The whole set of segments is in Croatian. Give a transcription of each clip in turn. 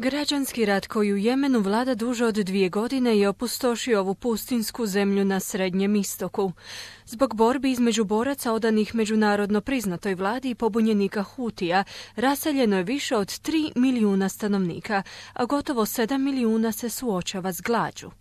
Građanski rat koji u Jemenu vlada duže od 2 godine je opustošio ovu pustinsku zemlju na Srednjem istoku. Zbog borbi između boraca odanih međunarodno priznatoj vladi i pobunjenika Hutija, raseljeno je više od 3 milijuna stanovnika, a gotovo 7 milijuna se suočava s glađu.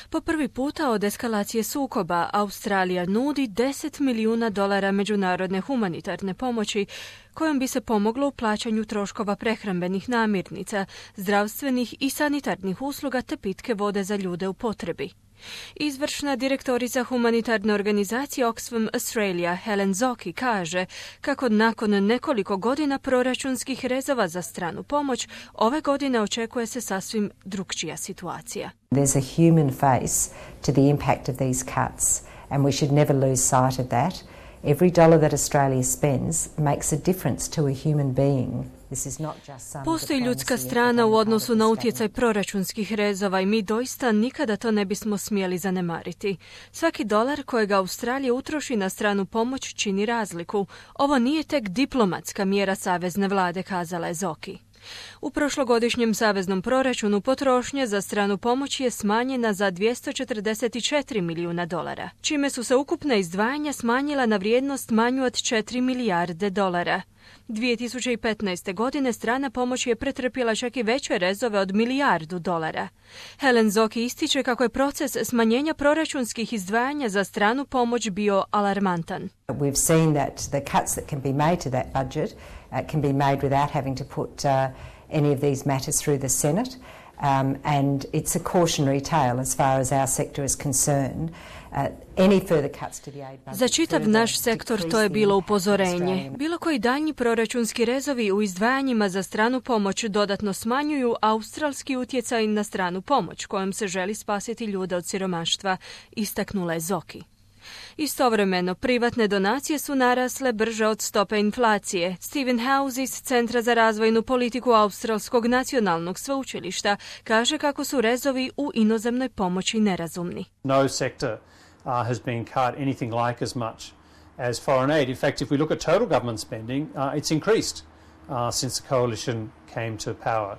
Po prvi puta od eskalacije sukoba Australija nudi $10 milijuna međunarodne humanitarne pomoći kojom bi se pomoglo u plaćanju troškova prehrambenih namirnica, zdravstvenih i sanitarnih usluga te pitke vode za ljude u potrebi. Izvršna direktorica humanitarne organizacije Oxfam Australia Helen Zocchi kaže kako nakon nekoliko godina proračunskih rezova za stranu pomoć, ove godine očekuje se sasvim drukčija situacija. There's a human face to the impact of these cuts and we should never lose sight of that. Every dollar that Australia spends makes a difference to a human being. Postoji ljudska strana u odnosu na utjecaj proračunskih rezova i mi doista nikada to ne bismo smjeli zanemariti. Svaki dolar kojega Australija utroši na stranu pomoć čini razliku. Ovo nije tek diplomatska mjera savezne vlade, kazala je Zocchi. U prošlogodišnjem saveznom proračunu potrošnja za stranu pomoć je smanjena za $244 milijuna, čime su se ukupna izdvajanja smanjila na vrijednost manju od $4 milijarde. 2015. godine strana pomoć je pretrpjela čak i veće rezove od $1 milijardu. Helen Zocchi ističe kako je proces smanjenja proračunskih izdvajanja za stranu pomoć bio alarmantan. We've seen that the cuts that can be made to that budget can be made without having to put any of these matters through the Senate. And it's a cautionary tale as far as our sector is concerned. Za čitav naš sektor to je bilo upozorenje. Bilo koji daljnji proračunski rezovi u izdvajanjima za stranu pomoć dodatno smanjuju australski utjecaj na stranu pomoć kojom se želi spasiti ljude od siromaštva, istaknula je Zocchi. Istovremeno, privatne donacije su narasle brže od stope inflacije. Stephen House iz Centra za razvojnu politiku Australskog nacionalnog sveučilišta kaže kako su rezovi u inozemnoj pomoći nerazumni. No sector has been cut anything like as much as foreign aid. In fact, if we look at total government spending, it's increased since the coalition came to power.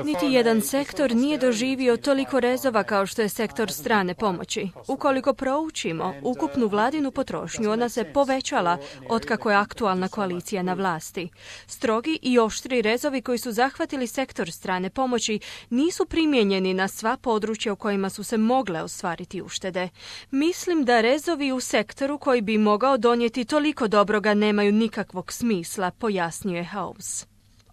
Niti jedan sektor nije doživio toliko rezova kao što je sektor strane pomoći. Ukoliko proučimo ukupnu vladinu potrošnju, ona se povećala otkako je aktualna koalicija na vlasti. Strogi i oštri rezovi koji su zahvatili sektor strane pomoći nisu primijenjeni na sva područja u kojima su se mogle ostvariti uštede. Mislim da rezovi u sektoru koji bi mogao donijeti toliko dobroga nemaju nikakvog smisla, pojasnio je House.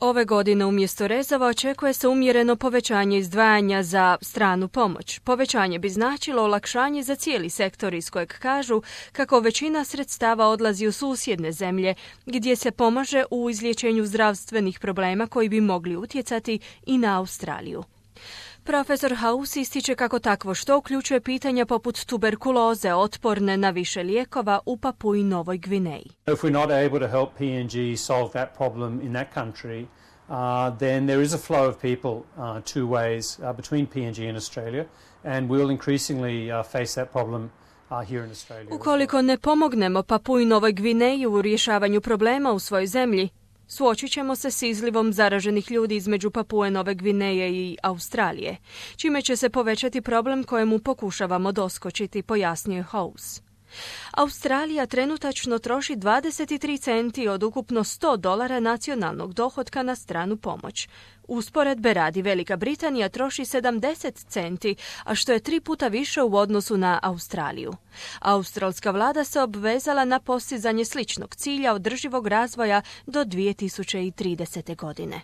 Ove godine umjesto rezova očekuje se umjereno povećanje izdvajanja za stranu pomoć. Povećanje bi značilo olakšanje za cijeli sektor iz kojeg kažu kako većina sredstava odlazi u susjedne zemlje gdje se pomaže u izliječenju zdravstvenih problema koji bi mogli utjecati i na Australiju. Profesor House ističe kako takvo što uključuje pitanja poput tuberkuloze otporne na više lijekova u Papui Novoj Gvineji. If we're not able to help PNG solve that problem in that country, then there is a flow of people two ways between PNG and Australia, and we'll increasingly face that problem here in Australia. Ukoliko ne pomognemo Papui Novoj Gvineji u rješavanju problema u svojoj zemlji, suočit ćemo se s izlivom zaraženih ljudi između Papue Nove Gvineje i Australije, čime će se povećati problem kojemu pokušavamo doskočiti, pojasnio je House. Australija trenutačno troši 23 centi od ukupno $100 nacionalnog dohotka na stranu pomoć. Usporedbe radi Velika Britanija troši 70 centi, a što je 3 puta više u odnosu na Australiju. Australska vlada se obvezala na postizanje sličnog cilja održivog razvoja do 2030. godine.